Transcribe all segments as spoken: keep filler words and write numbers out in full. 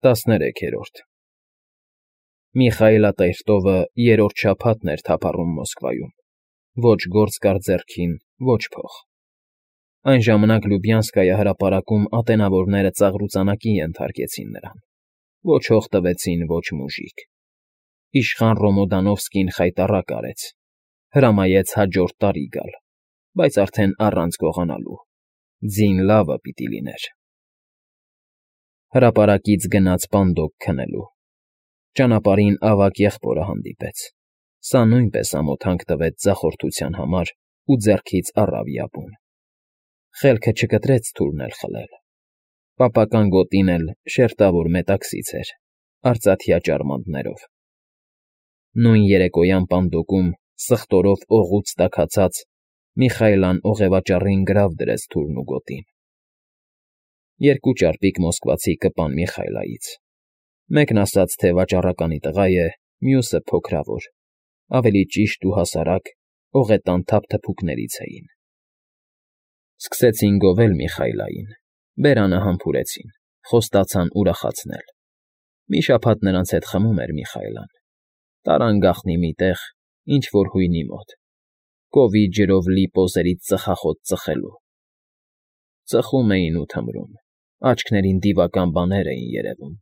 ՏԱՍՆԵՐ꯭ԵՔԵՐՈՐԴ Միխայիլատեր֊տովը երրորդ շաբաթն էր թափառում Մոսկվայում, ոչ գործ կար ձեռքին, ոչ փող. այն ժամանակ Լյուբյանսկայի հրապարակում ատենավորները ծաղրուծանակի ենթարկեցին նրան, ոչ հող տվեցին, ոչ մուժիկ. իշխան Ռոմոդանովսկին խայտառակ արեց, հրամայեց հաջորդ տարի գալ, բայց արդեն առանց գողանալու, ձին լավը պիտի լիներ։ Հրապարակից գնաց պանդոկ քնելու, ճանապարհին ավագ եղբորը հանդիպեց, սա նույնպես ամոթանք տվեց ձախորդության համար ու ձեռքից առավ յապուն։ Խելքը չկտրեց թուրն էլ խլել, պապական գոտին էլ շերտավոր մետաքսից էր, արծաթյա ճարմանտներով։ Նույն երեկոյան պանդոկում սխտորով օղուց տաքացած Միխայիլն օղևաճառին գրավ դրեց թուրն ու գոտին։ Երկու ճարպիկ մոսկվացի կպան Միխայիլից, մեկն ասաց, թե վաճառականի տղա է, մյուսը փոքրավոր, ավելի ճիշտ ու հասարակ օղետան թափթփուկներից էին։ Սկսեցին գովել Միխայիլին, բերանը համբուրեցին, խոստացան ուրախացնել։ Մի շաբաթ նրանց հետ խմում էր Միխայիլն, տարան գաղտնի մի տեղ, ինչ֊որ հույնի մոտ, կովի ջրով լի պոզերից ծխախոտ ծխելու։ Ծխում էին ու թմրում, աչքներին դիվական բաներ էին երևում,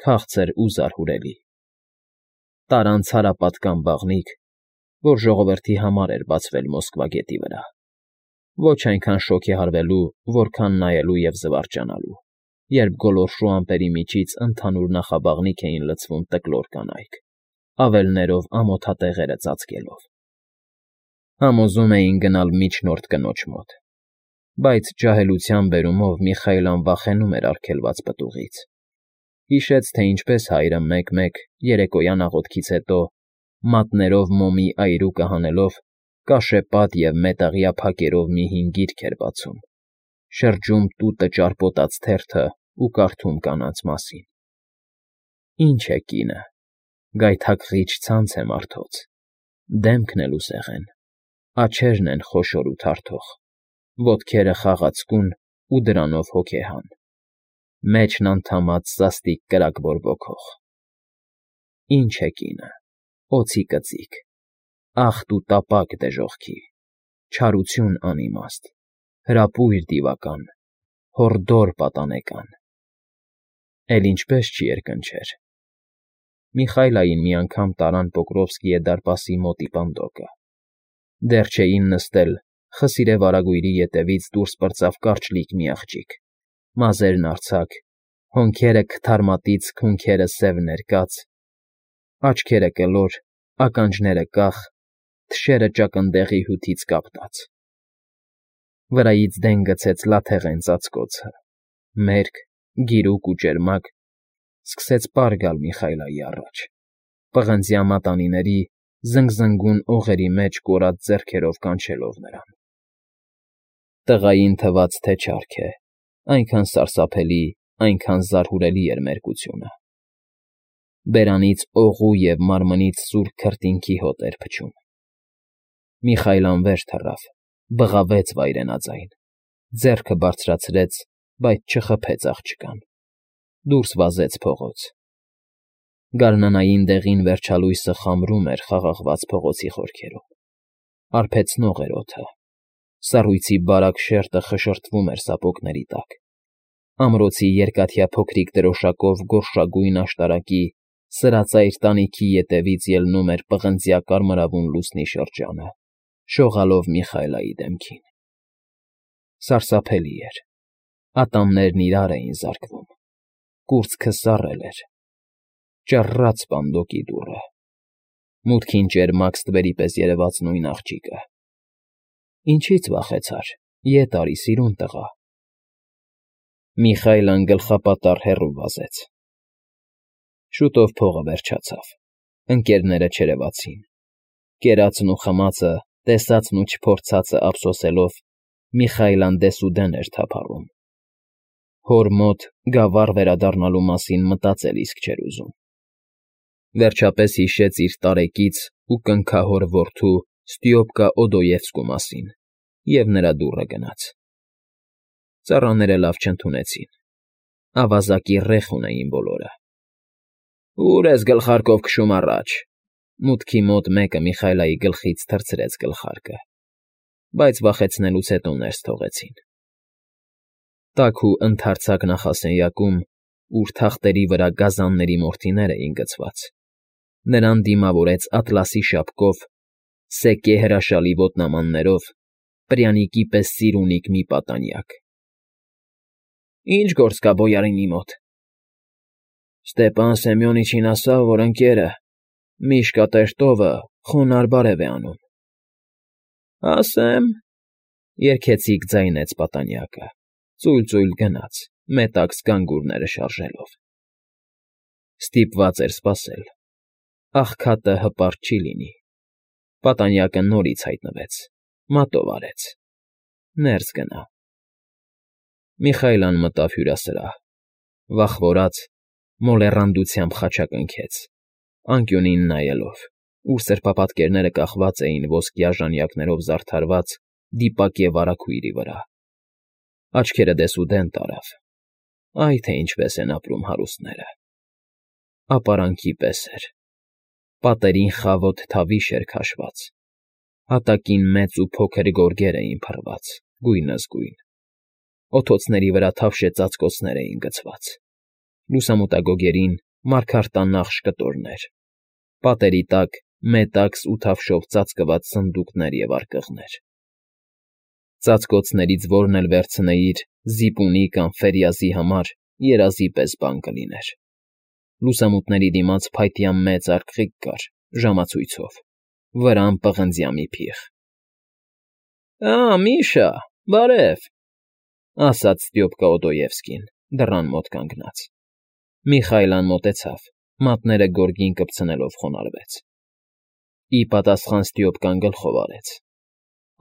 քաղցր ու զարհուրելի։ Տարան ցարապատկան բաղնիք, որ ժողովրդի համար էր բացվել Մոսկվա գետի վրա, ոչ այնքան շոգեհարվելու, որքան նայելու և զվարճանալու, երբ գոլորշու ամպերի միջից ընդհանուր նախաբաղնիք էին լցվում տկլոր կանայք, ավելներով ամոթատեղերը ծածկելով։ Համոզում էին գնալ միջնորդ կնոջ մոտ, բայց ջահելության բերումով Միխայիլն վախենում էր արգելված պտուղից։ Հիշեց, թե ինչպես հայրը մեկ֊մեկ երեկոյան աղոթքից հետո, մատներով մոմի այրուկը հանելով, կաշեպատ և մետաղյա փակերով մի հին գիրք էր բացում, շրջում տուտը ճարպոտած թերթը ու կարդում կանանց մասին։ Ի՞նչ է կինը, գայթակղիչ ցանց է մարդոց, դեմքն էլ ուսեղեն, աջերն են խոշոր ու թարթող, ոտքերը խաղացկուն ու դրանով հոգեհան, մեջն անդամած սաստիկ կրակ բորբոքող։ Ի՞նչ է կինը, օձի կծիկ, ախտ ու տապակ դժոխքի, չարություն անիմաստ, հրապույր դիվական, հորդոր պատանեկան։ Էլ ինչպես չի երկնչեր։ Միխայիլին մի անգամ տարան Պոկրովսկիե դարպասի մոտի պանդոկը։ Դեռ չէին նստել, խսիրե վարագույրի ետևից դուրս պրծավ կարճլիկ մի աղջիկ, մազերն արձակ, հոնքերը քթարմատից քունքերը սև ներկած, աչքերը կլոր, ականջները կախ, թշերը ճակնդեղի հյութից կապտած։ Վրայից դեն գցեց լաթեղեն ծածկոցը, մերկ, գիրուկ ու ճերմակ, սկսեց պար գալ Միխայիլի առաջ, պղնձյա մատանիների, զնգզնգուն օղերի մեջ կորած ձեռքերով կանչելով նրան։ Տղային թվաց, թե չարք է, այնքան սարսափելի, այնքան զարհուրելի էր մերկությունը։ Բերանից օղու և մարմնից սուր քրտինքի հոտ էր փչում։ Միխայիլն վեր թռավ, բղավեց վայրենաձայն, ձեռքը բարձրացրեց, բայց չխփեց աղջկան, դուրս վազեց փողոց։ Գարնանային դեղին վերջալույսը խամրում էր խաղաղված փողոցի խորքերում, արբեցնող էր օդը, սառույցի բարակ շերտը խշշրտվում էր սապոգների տակ, ամրոցի երկաթյա փոքրիկ դրոշակով գորշագույն աշտարակի սրածայր տանիքի ետևից ելնում էր պղնձյա կարմրավուն լուսնի շրջանը, շողալով Միխայիլի դեմքին։ Սարսափելի էր, ատամներն իրար էին զարկվում, կուրծքը սառել էր, ճռռաց պանդոկի դուռը, մուտքին ճերմակ ստվերի պես երևաց նույն աղջիկը։ Ինչի՞ց վախեցար, ետ արի, սիրուն տղա։ Միխայիլն գլխապատառ հեռու վազեց։ Շուտով փողը վերջացավ, ընկերները չերևացին, կերածն ու խմածը, տեսածն ու չփորձածը ափսոսելով, Միխայիլն դեսուդեն էր թափառում։ Հոր մոտ գավառ վերադառնալու մասին մտածել իսկ չէր ուզում։ Վերջապես հիշեց իր տարեկից ու կնքահոր որդու Ստյոպկա Օդոևսկու մասին և նրա դուռը գնաց։ Ծառաները լավ չընդունեցին, ավազակի ռեխ ունեին բոլորը, Ուր ես գլխարկով քշում առաջ։ Մուտքի մոտ մեկը Միխայլայի գլխից թռցրեց գլխարկը, բայց վախեցնելուց հետո ներս թողեցին։ Տաք ու ընդարձակ նախասենյակում, ուր թախտերի վրա գազանների մորթիներ էին գցված, նրան դիմավորեց ատլասի շապկով, սեկե հրաշալի ոտնամաններով, պրյանիկի պես սիրունիկ մի պատանյակ։ ֊ Ի՞նչ գործ կա բոյարինի մոտ։ ֊ Ստեպան Սեմյոնիչին ասա, որ ընկերը, Միշկա Տրետովը, խոնարհ բարև է անում։ ֊ Ասեմ,֊ երգեցիկ ձայնեց պատանյակը, ծույլ֊ծույլ գնաց, մետաքս գանգուրները շարժելով։ Ստիպված էր սպասել։ Աղքատը հպարտ չի լինի։ Պատանյակը նորից հայտնվեց, մատով արեց։ Ներս գնա։ Միխայլան մտավ հյուրասրահ, վախվորած, մոլեռանդությամբ խաչակնքեց, անկյունին նայելով, ուր սրբապատկերները կախված էին ոսկյա ժանյակներով զարդարված դիպակ և վարագույրի վրա։ Աչքերը դեսուդեն տարավ։ Այ թե ինչպես են ապրում հարուստները։ Ապարանքի պես էր։ Պատերին խավոտ թավիշ էր քաշված, հատակին մեծ ու փոքր գորգեր էին փռված, գույնզգույն, օթոցների վրա թավշե ծածկոցներ էին գցված, լուսամուտագոգերին մարգարտանախշ կտորներ, պատերի տակ մետաքս ու թավշով ծածկված սնդուկներ և արկղներ։ Ծածկոցներից որն էլ վերցնեիր զիպունի կամ ֆերյազի համար երազի պես բան կլիներ։ Լուսամուտների դիմաց փայտյա մեծ արկղիկ կար, ժամացույցով, վրան պղնձյա մի փիղ։ ֊ Ա, Միշա, բարև,֊ ասաց Ստյոպկա Օդոյևսկին, դռան մոտ կանգնած։ Միխայլան մոտեցավ, մատները գորգին կպցնելով խոնարհվեց։ Ի պատասխան Ստյոպկան գլխով արեց։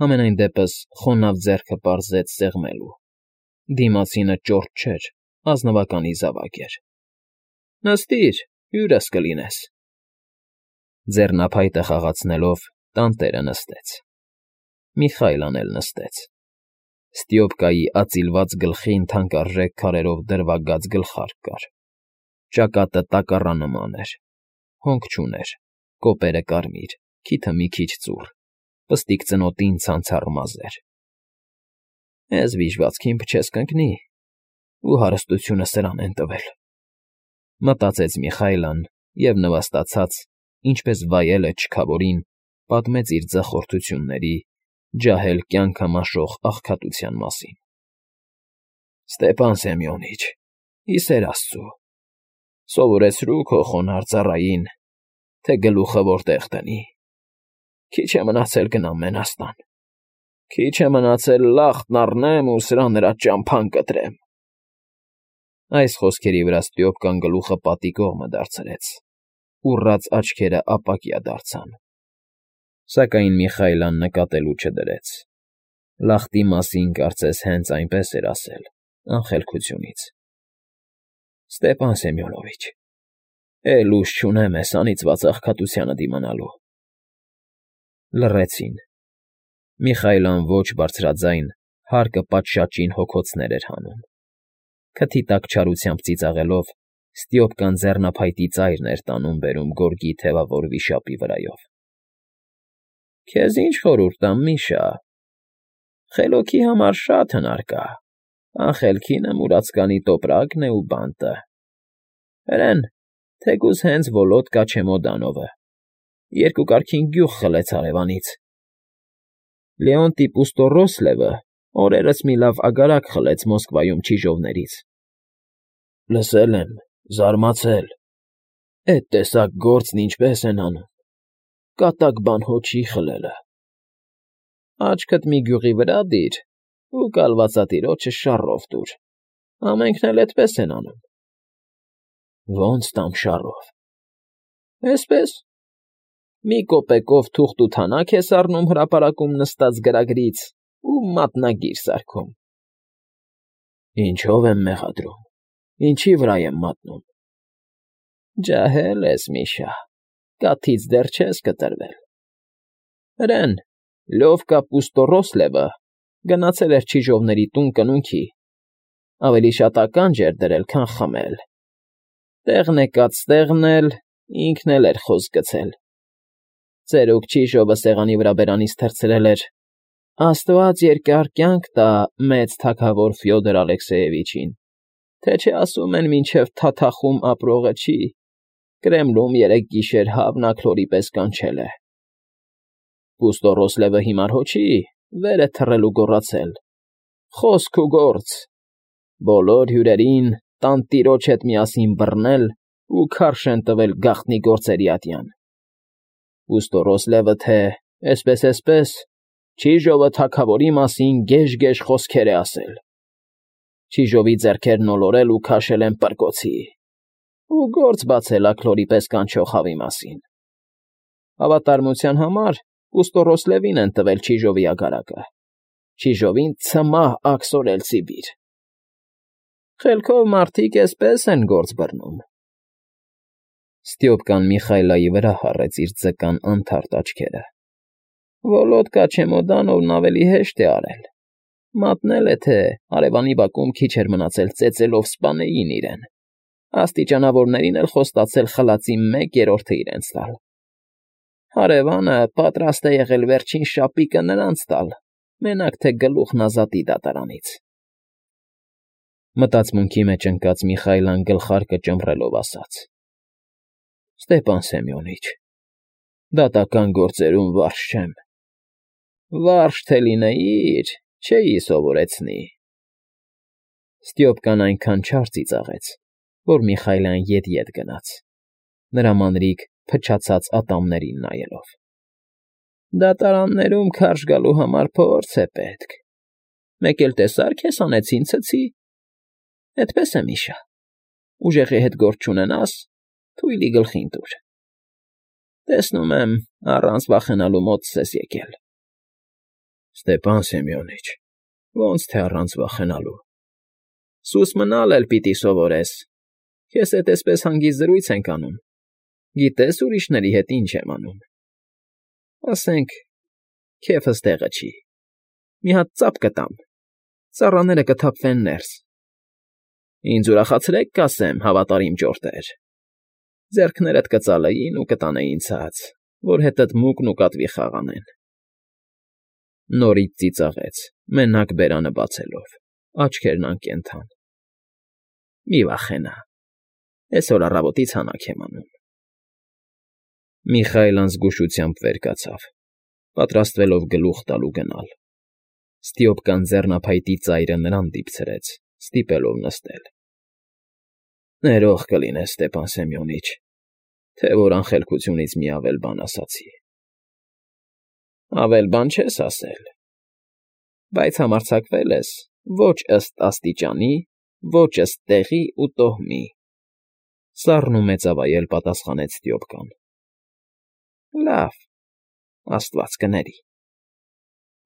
Համենայն դեպս խոնավ ձեռքը պարզեց սեղմելու։ Դիմացինը ճորտ չէր, ազնվականի զավակ էր։ ֊ Նստիր, հյուրս կլինես։ Ձեռնափայտը խաղացնելով տանտերը նստեց։ Միխայլան էլ նստեց։ Ստյոպկայի ածիլված գլխին թանկարժեք քարերով դրվագած գլխարկ կար։ Ճակատը տակառանման էր, հոնք չուներ, կոպերը կարմիր, քիթը մի քիչ ծուռ, պստիկ ծնոտին ցանցառ մազեր։ Էս վիժվածքին փչես կընկնի, ու հարստությունը սրան են տվել,֊ մտածեց Միխայլան և նվաստացած, ինչպես վայել է չքավորին, պատմեց իր ձախորդությունների, ջահել կյանքը մաշող աղքատության մասին։ ֊ Ստեպան Սեմյոնիչ, ի սեր աստծո, սովորեցրու քո խոնարհ ծառային, թե գլուխը որտեղ դնի։ Քիչ է մնացել գնամ Մենաստան, քիչ է մնացել լախտն առնեմ ու սրա նրա ճամփան կտրեմ։ Այս խոսքերի վրա Ստյոպկան գլուխը պատի կողմը դարձրեց, ուռած աչքերը ապակյա դարձան։ Սակայն Միխայլան նկատելու չդրեց։ Լախտի մասին կարծես հենց այնպես էր ասել, անխելքությունից։ ֊ Ստեպան Սեմյոնովիչ, էլ ուժ չունեմ էս անիծված աղքատությանը դիմանալու։ Լռեցին։ Միխայլան ոչ բարձրաձայն հարկը պատշաճին հոգոցներ էր հանում։ Քթի տակ չարությամբ ծիծաղելով, Ստյոպկան ձեռնափայտի ծայրն էր տանում֊բերում գորգի թևավոր վիշապի վրայով։ ֊ Քեզ ինչ խորհուրդ տամ, Միշա, խելոքի համար շատ հնար կա, անխելքինը մուրացկանի տոպրակն է ու բանտը։ Հրեն, թեկուզ հենց Վոլոդկա Չեմոդանովը երկու կարգին գյուղ խլեց հարևանից։ Լեոնտի Պուստոռոսլևը օրերս մի լավ ագարակ խլեց Մոսկվայում չիժովներից։ ֊ Լսել եմ, զարմացել, էդ տեսակ գործն ինչպես են անում, կատակ բան հո չի խլելը։ ֊ Աչքդ մի գյուղի վրա դիր ու կալվածատիրոջը շառով տուր, ամենքն էլ էդպես են անում։ ֊ Ո՞նց տամ շառով։ ֊ Էսպես. մի կոպեկով թուղթ ու թանաք ես առնում հրապարակում նստած գրագրից ու մատնագիր սարքում։ ֊ Ինչո՞վ եմ մեղադրում, ինչի վրա եմ մատնում։ ֊ Ջահել ես, Միշա, կաթից դեռ չես կտրվել։ Հրեն, Լյովկա Պուստոռոսլևը գնացել էր չիժովների տուն կնունքի, ավելի շատ ականջ էր դրել, քան խմել։ Տեղն եկած տեղն էլ ինքն էլ էր խոսք գցել. ծերուկ Ճիժովը սեղանի վրա բերանից թռցրել էր. «Աստված երկար կյանք տա մեծ թագավոր Ֆյոդոր Ալեքսեևիչին, թե չէ ասում են մինչև Թաթախում ապրողը չի, Կրեմլում երեք գիշեր հավն աքլորի պես կանչել է»։ Պուստոռոսլևը հիմար հո չի, վեր է թռել ու գոռացել. «Խոսք ու գործ, բոլոր հյուրերին տանտիրոջ հետ միասին բռնել ու քարշ են տվել գաղտնի գործերի ատյան»։ Պուստոռոսլևը թե էսպես֊էսպես, Ճիժովը թագավորի մասին գեժ֊գեժ խոսքեր է ասել. Ճիժովի ձեռքերն ոլորել ու քաշել են պրկոցի, ու գործ բացել աքլորի պես կանչող հավի մասին։ Հավատարմության համար Պուստոռոսլևին են տվել Ճիժովի ագարակը, Ճիժովին ցմահ աքսորել Սիբիր։ Խելքով մարդիկ էսպես են գործ բռնում։ Ստյոպկան Միխայլայի վրա հառեց իր ձկան անթարթ աչքերը։ Վոլոդկա Չեմոդանովն ավելի հեշտ է արել. մատնել է, թե հարևանի բակում քիչ էր մնացել ծեծելով սպանեին իրեն, աստիճանավորներին էլ խոստացել խլածի մեկ երրորդը իրենց տալ։ Հարևանը պատրաստ է եղել վերջին շապիկը նրանց տալ, մենակ թե գլուխն ազատի դատարանից։ Մտածմունքի մեջ ընկած Միխայլան գլխարկը ճմռելով ասաց. Ստեփան Սեմյոնիչ, դատական գործերում վարժ չեմ։ Վարժ թե լինեիր, չէի սովորեցնի։ Ստյոպկան այնքան չար ծիծաղեց, որ Միխայլյան ետ֊ետ գնաց, նրա մանրիկ փչացած ատամներին նայելով։ Դատարաններում քարշ գալու համար փորձ է պետք։ Մեկ էլ տեսա՞ր քեզ անեցին ցցի։ Էդպես է, Միշա, ուժեղի հետ գործ չունենաս, թույլի գլխին տուր։ Տեսնում եմ, առանց վախենալու մոտս ես եկել։ Ստեփան Սեմյոնիչ, ոնց թե առանց վախենալու։ Սուս մնալ էլ պիտի սովորես։ Քեզ հետ էսպես հանգիստ զրույց ենք անում։ Գիտես ուրիշների հետ ինչ եմ անում։ Ասենք, քեֆս տեղը չի։ Մի հատ ծափ կտամ, ծառաները կթափվեն ներս։ Ինձ ուրախացրեք կասեմ, հավատարիմ ճորտեր։ Ձեռքներդ կծալեին ու կտանեին ցած, որ հետդ մուկն ու կատվի խաղանեն։ Նորից ծիծաղեց, մենակ բերանը բացելով, աչքերն անկենդան։ Մի վախենա, այսօր առավոտից հանակ եմ անում։ Միխայլն զգուշությամբ վեր կացավ, պատրաստվելով գլուխ տալու գնալ։ Ստյոպկան ձեռնափայտի ծայրը նրան դիպցրեց, ստիպելով նստել։ Ներող կլինես, Ստեփան Սեմյոնիչ, թե որ անխելքությունից մի ավել բան ասացի։ Ավել բան չես ասել, բայց համարձակվել ես ոչ ըստ աստիճանի, ոչ ըստ տեղի ու տոհմի։ Սառն ու մեծավայել պատասխանեց Ստյոպկան։ Լավ, Աստված կների։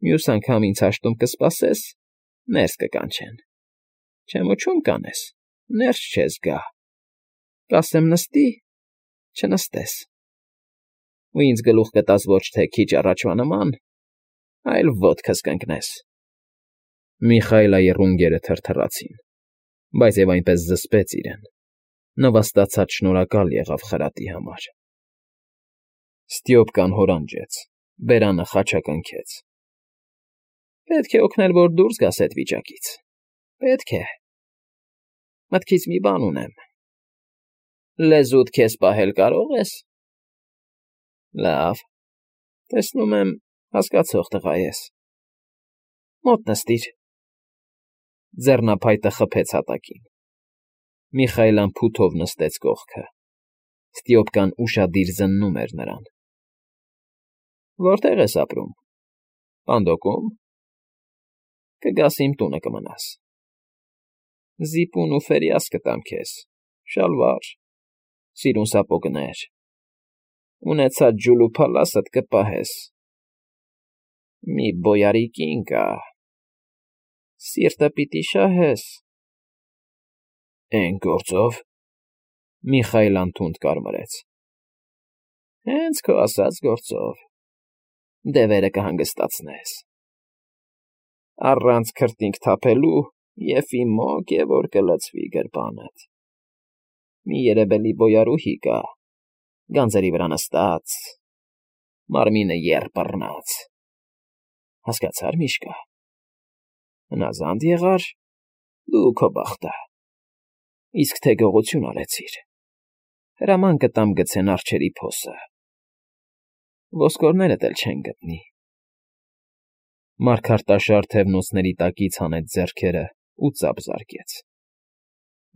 Մյուս անգամ ինձ հաշտում կսպասես, ներս կկանչեն։ Չեմոչում կանես, ներս չես գա։ Կասեմ նստի, չնստես։ Ու ինձ գլուխ կտաս ոչ թե քիչ առաջվա նման, այլ ոտքս կընկնես։ Միխայլայի ռունգերը թրթռացին, բայց և այնպես զսպեց իրեն, նվաստացած շնորհակալ եղավ խրատի համար։ Ստյոպկան հորանջեց, բերանը խաչակնքեց։ Պետք է օգնել, որ դուրս գաս էդ վիճակից։ Պետք է։ Մտքից մի բան ունեմ։ Լեզուդ քեզ պահել կարո՞ղ ես։ Լավ, տեսնում եմ, հասկացող տղա ես։ Մոտ նստիր։ Ձեռնափայտը խփեց հատակին։ Միխայլան փութով նստեց կողքը։ Ստյոպկան ուշադիր զննում էր նրան։ Որտե՞ղ ես ապրում։ Պանդոկում։ Կգաս իմ տունը կմնաս։ Զիպուն ու ֆերիաս կտամ քեզ, շալվար, սիրուն սապոգներ, ունեցած ջուլ ու փալասդ կպահես։ Մի բոյարի կին կա, սիրտը պիտի շահես։ Էն գործով, Միխայլան թունդ կարմրեց։ Հենց քո ասած գործով, դևերը կհանգստացնես։ Առանց քրտինք թափելու և իմ մոգ է որ կլցվի գրպանդ։ Մի երևելի բոյարուհի կա, գանձերի վրա նստած, մարմինը եռ բռնած, հասկացա՞ր, Միշկա, հնազանդ եղա՞ր, դու ու քո բախտը, իսկ թե գողություն արեցիր, հրաման կտամ գցեն արջերի փոսը, ոսկորներդ էլ չեն գտնի։ Մառքարտաշար թևնոցների տակից հանեց ձեռքերն ու ծափ զարկեց,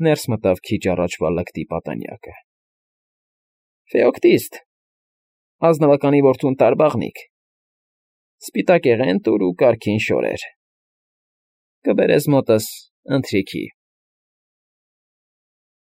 ներս մտավ քիչ առաջվա լկտի պատանյակը։ ֊ Ֆեոկտիստ, ազնվականի որդուն տարբաղնիք, սպիտակ եղեն տուր ու կարգին շորեր, կբերես մոտս ընթրիքի։